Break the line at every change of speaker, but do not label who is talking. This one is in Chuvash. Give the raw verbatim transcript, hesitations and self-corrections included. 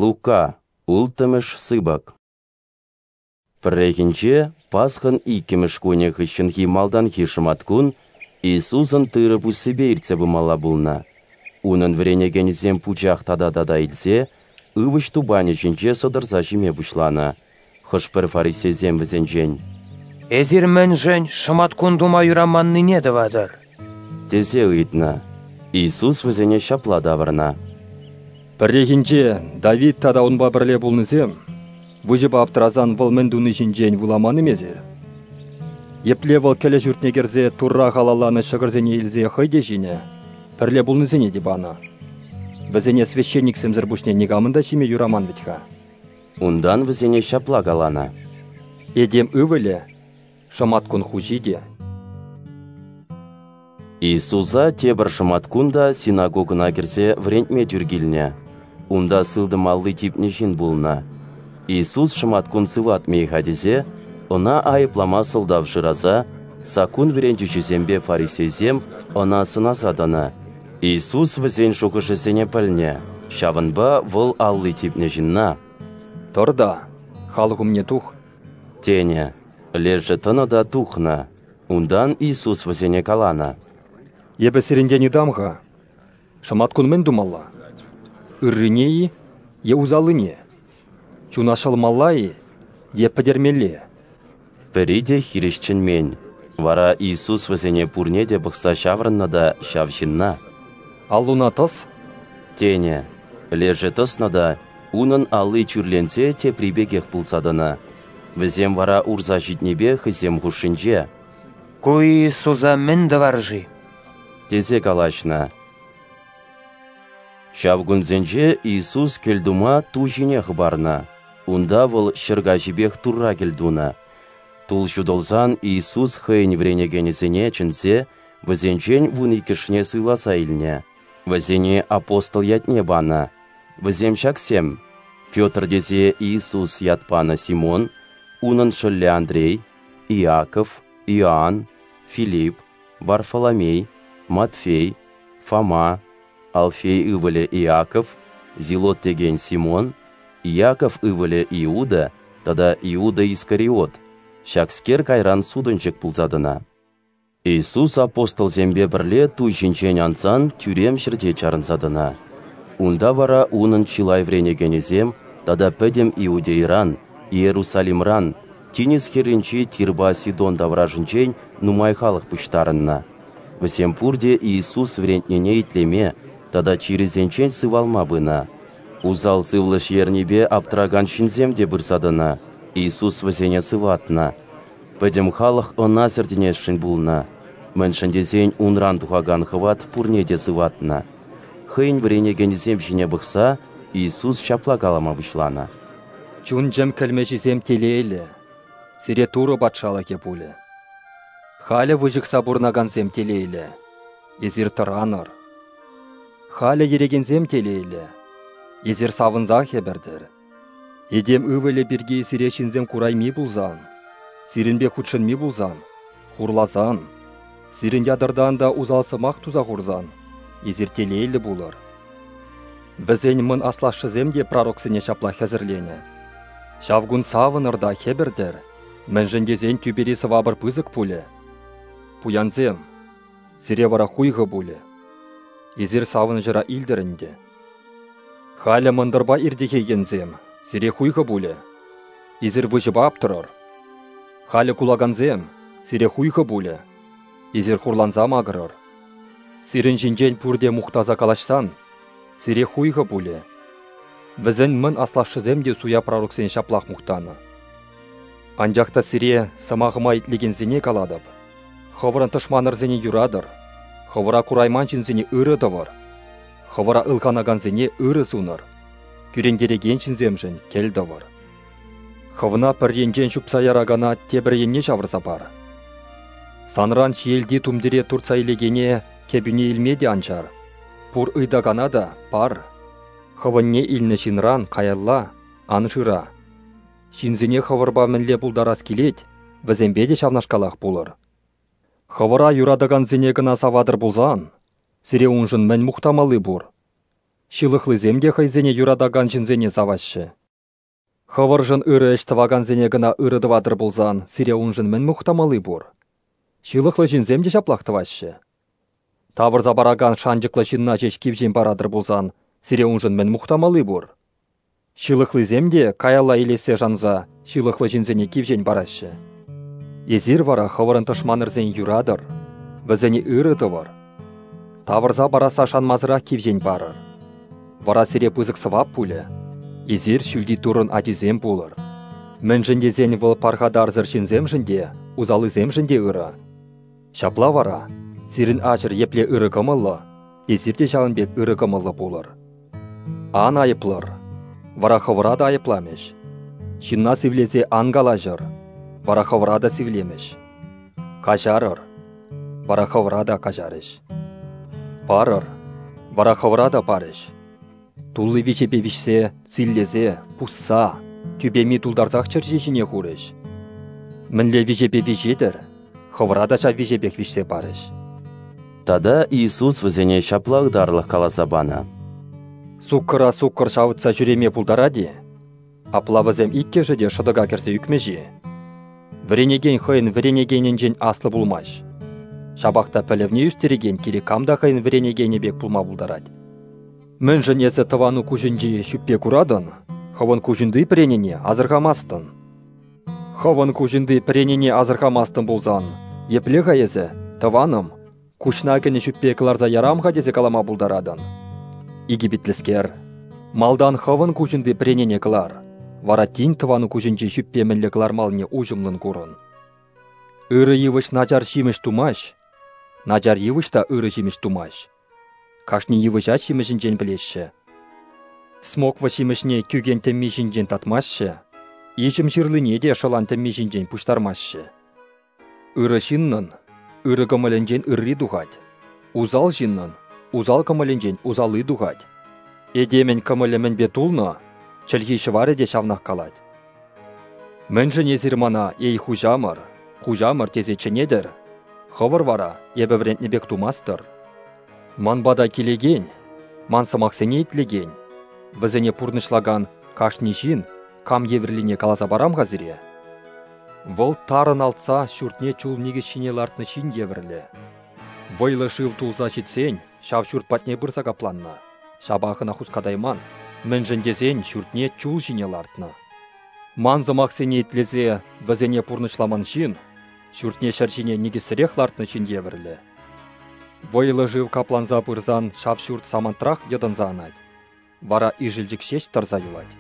Лука, улттӑмӗш сыпӑк. Пӗррехинче, Пасхӑн иккӗмӗш кунӗ хыҫҫӑнхи малтанхи шӑматкун, Иисусӑн тырӑ пуссипе иртсе пымалла пулнӑ. Унӑн вӗренекенӗсем пучах тата-тата илсе ывӑҫ тупанӗ ҫинче сӑтӑрса ҫиме пуҫланӑ. Хӑш-пӗр фарисейсем вӗсенчен:
«Эсир мӗншӗн шӑматкун тума юраманнине тӑватӑр?»
тесе ыйтнӑ. Иисус вӗсене ҫапла тавӑрнӑ:
«Пӗррехинче Давид тата унпа пӗрле пулнисем выҫӑпа аптӑрасан вӑл мӗн туни ҫинчен вуламан-им эсир? Епле вӑл кӗлӗ ҫуртне кӗрсе Турра халалланӑ ҫӑкӑрсене илсе хӑй те ҫинӗ, пӗрле пулнисене те панӑ. Вӗсене священниксемсӗр пуҫне никамӑн та ҫиме юраман вӗт-ха».
Унтан вӗсене ҫапла каланӑ:
«Этем Ывӑлӗ шӑматкун хуҫи те».
Иисуса тепӗр шӑматкун та синагогӑна кӗрсе вӗрентме тӳр килнӗ. Унта сылтӑм алли типнӗ ҫын пулнӑ. Иисус шӑматкун сыватмӗ-и-ха тесе, ӑна айӑплама сӑлтав шыраса, саккун вӗрентӳҫисемпе фарисейсем ӑна сӑнаса тӑнӑ. Иисус вӗсен шухӑшӗсене пӗлнӗ, ҫавӑнпа вӑл алли типнӗ ҫынна:
«Тӑр та халӑх умне тух»,
тенӗ. Лешӗ тӑнӑ та тухнӑ. Унтан Иисус вӗсене каланӑ:
«Эпӗ сирӗнтен ыйтам-ха, шӑматкун мӗн тумалла? Ыррине-и е усаллине? Чуна ҫӑлмалла-и е пӗтермелле?»
Пӗри те хирӗҫ чӗнмен. Вара Иисус вӗсене пурне те пӑхса ҫаврӑннӑ та ҫав ҫынна:
«Аллуна тӑс»,
тенӗ. Лешӗ тӑснӑ та унӑн алли тӳрленсе тепри пекех пулса тӑнӑ. Вӗсем вара урса ҫитнипе хӑйсем хушшинче:
«Ку Иисуса мӗн тӑвар-ши?»
тесе калаҫнӑ. Ҫав кунсенче Иисус кӗлтума ту ҫине хӑпарнӑ. Унта вӑл ҫӗр каҫипех Турра кӗлтунӑ. Тул ҫутӑлсан Иисус хӑйӗн вӗренекенӗсене чӗнсе вӗсенчен вун иккӗшне суйласа илнӗ. Вӗсене апостол ятне панӑ. Вӗсем ҫаксем: Петр тесе Иисус ят панӑ Симон, унӑн шӑллӗ Андрей, Иаков, Иоанн, Филипп, Варфоломей, Матфей, Фома, Алфей ывӑлӗ Иаков, Зилот текен Симон, Иаков ывӑлӗ Иуда тата Иуда Искариот, ҫакскер кайран сутӑнчӑк пулса тӑнӑ. Иисус апостолсемпе пӗрле ту ҫинчен ансан тӳрем ҫӗрте чарӑнса тӑнӑ. Унта вара унӑн чылай вӗренекенӗсем тата пӗтӗм Иудейӑран, Иерусалимран, тинӗс хӗрринчи Тирпа Сидон таврашӗнчен нумай халӑх пуҫтарӑннӑ. Вӗсем пурте Иисус вӗрентнине итлеме тата чирӗсенчен сывалма пынӑ. Усал сывлӑш ернипе аптӑракан ҫынсем те пырса тӑнӑ. Иисус вӗсене сыватнӑ. Пӗтӗм халӑх ӑна сӗртӗнесшӗн пулнӑ, мӗншӗн тесен унран тухакан хӑват пурне те сыватнӑ. Хӑйӗн вӗренекенӗсем ҫине пӑхса Иисус ҫапла калама пуҫланӑ:
«Чун-чӗм кӗлмӗҫӗсем телейлӗ, сире Турӑ патшалӑхӗ пулӗ. Халӗ выҫӑхса пурӑнакансем телейлӗ, эсир тӑранӑр. Халӗ йӗрекенсем телейлӗ, эсир савӑнсах хӗпӗртӗр. Этем Ывӑлӗ пирки сире ҫынсем курайми пулсан, сирӗнпе хутшӑнми пулсан, хурласан, сирӗн ятӑртан та усал сӑмах туса хурсан, эсир телейлӗ пулӑр. Вӗсен мӑн аслашшӗсем те пророксене ҫапла хӗсӗрленӗ. Ҫав кун савӑнӑр та хӗпӗртӗр, мӗншӗн тесен тӳпери сӑвапӑр пысӑк пулӗ. Пуянсем, сире вара хуйхӑ пулӗ. Эсир савӑнӑҫӑра илтӗр ӗнтӗ. Халӗ мӑнтӑрпа иртӗхекенсем, сире хуйхӑ пулӗ. Эсир выҫӑпа аптӑрӑр. Халӗ кулакансем, сире хуйхӑ пулӗ. Эсир хурланса макӑрӑр. Сирӗн ҫинчен пурте мухтаса калаҫсан, сире хуйхӑ пулӗ. Вӗсен мӑн аслашшӗсем те суя пророксене ҫаплах мухтанӑ. Анчах та сире сӑмахӑма итлекенсене калатӑп: хӑвӑрӑн тӑшманӑрсене юратӑр, хӑвӑра курайман ҫынсене ырӑ тӑвӑр, хӑвӑра ылханакансене ырӑ сунӑр, кӳрентерекен ҫынсемшӗн кӗл тӑвӑр. Хӑвна пӗр енчен ҫупса яракана тепӗр енне ҫавӑрса пар. Санран ҫиелти тумтире туртса илекене кӗпӳне илме те ан чар. Пур ыйтакана та пар. Хӑвӑнне илнӗ ҫынран каялла ан шыра. Ҫынсене хӑвӑрпа мӗнле пултарас килет, вӗсемпе те ҫавнашкалах пулӑр. Хӑвӑра юратакансене кӑна саватӑр пулсан, сире уншӑн мӗн мухтамалли пур? Ҫылӑхлисем те хӑйсене юратакан ҫынсене саваҫҫӗ. Хӑвӑршӑн ырӑ ӗҫ тӑвакансене кӑна ырӑ тӑватӑр пулсан, сире уншӑн мӗн мухтамалли пур? Ҫылӑхлӑ ҫынсем те ҫаплах тӑваҫҫӗ. Тавӑрса паракан шанчӑклӑ ҫынна ҫеҫ кивҫен паратӑр пулсан, сире уншӑн мӗн мухтамалли пур? Ҫылӑхлисем те каялла илессе шанса ҫылӑхлӑ ҫынсене кивҫен параҫҫӗ. Эсир вара хӑвӑрӑн тӑшманӑрсене юратӑр, вӗсене ырӑ тӑвӑр. Тавӑрса парасса шанмасӑрах кивҫен парӑр. Вара сире пысӑк сӑвап пулӗ. Эсир ҫӳлти Туррӑн ачисем пулӑр. Мӗншӗн тесен вӑл пархатарсӑр ҫынсемшӗн те, усаллисемшӗн те ырӑ. Ҫапла вара, сирӗн ачӑр епле ырӑ кӑмӑллӑ, эсир те ҫавӑн пек ырӑ кӑмӑллӑ пулӑр. Ан айӑплӑр, вара хӑвӑра та айӑпламӗҫ. Ҫынна сивлесе ан калаҫӑр, вара хӑвӑра та сивлемӗҫ. Каҫарӑр, вара хӑвӑра та каҫарӗҫ. Парӑр, вара хӑвӑра та парӗҫ. Тулли виҫепе виҫсе, силлесе, пусса, тӳпеми тултарсах чӗрҫи ҫине хурӗҫ. Мӗнле виҫепе виҫетӗр, хӑвӑра та ҫав виҫепех виҫсе парӗҫ.
Тата Иисус вӗсене ҫапла ытарлӑх каласа панӑ.
Суккӑра суккӑр ҫавӑтса ҫӳреме пултарать-и? Апла вӗсем иккӗшӗ те шӑтӑка кӗрсе ӳкмӗҫ-и? Вӗренекен хӑйӗн вӗренекенӗнчен аслӑ пулмасть. Ҫапах та пӗлӗвне ӳстерекен кирек кам та хӑйӗн вӗренекенӗ пек пулма пултарать. Мӗншӗн эсӗ тӑвану куҫӗнчи ҫӳппе куратӑн, хӑвӑн куҫунти пӗренене асӑрхамастӑн? Хӑвӑн куҫунти пӗренене асӑрхамастӑн пулсан, епле-ха эсӗ, тӑванӑм, куҫна кӗнӗ ҫӳппе кӑларса ярам-ха тесе калама пултаратӑн? Икӗ питлӗскер, малтан хӑвӑн куҫунти пӗренене кӑлар, вара тин тӑвану куҫӗнчи ҫӳппе мӗнле кӑлармаллине уҫӑмлӑн курӑн. Ырӑ йывӑҫ начар ҫимӗҫ тумасть, начар йывӑҫ та ырӑ ҫимӗҫ тумасть. Кашни йывӑҫа ҫимӗҫӗнчен пӗлеҫҫӗ. Смоква ҫимӗҫне кӳкен тӗмми ҫинчен татмаҫҫӗ, иҫӗм ҫырлине те шӑлан тӗмми ҫинчен пуҫтармаҫҫӗ. Ырӑ ҫыннӑн ырӑ кӑмӑлӗнчен ырри тухать, усал ҫыннӑн усал кӑмӑлӗнчен усалли тухать. Этемӗн кӑмӑлӗ мӗнпе тулнӑ, чӗлхи ҫӑварӗ те ҫавнах калать. Мӗншӗн эсир мана, эй хуҫамӑр, хуҫамӑр тесе чӗнетӗр, хӑвӑр вара эпӗ вӗрентнӗ пек тумастӑр. Ман пата килекен, ман сӑмахсене итлекен, вӗсене пурнӑҫлакан кашни ҫын кам евӗрлине каласа парам-ха сире. Вӑл тарӑн алтса ҫуртне чул никӗс ҫине лартнӑ ҫын евӗрлӗ. Вӑйлӑ шыв тулса ҫитсен ҫав ҫурт патне пырса капланнӑ, ҫапах ӑна хускатайман, мӗншӗн тесен ҫуртне чул ҫине лартнӑ. Ман сӑмахсене итлесе вӗсене пурнӑҫламан ҫын ҫуртне ҫӗр ҫине никӗссӗрех лартнӑ ҫын евӗрлӗ. Вӑйлӑ шыв капланса пырсан ҫав ҫурт самантрах йӑтӑнса анать, вара ишӗлчӗк ҫеҫ тӑрса юлать.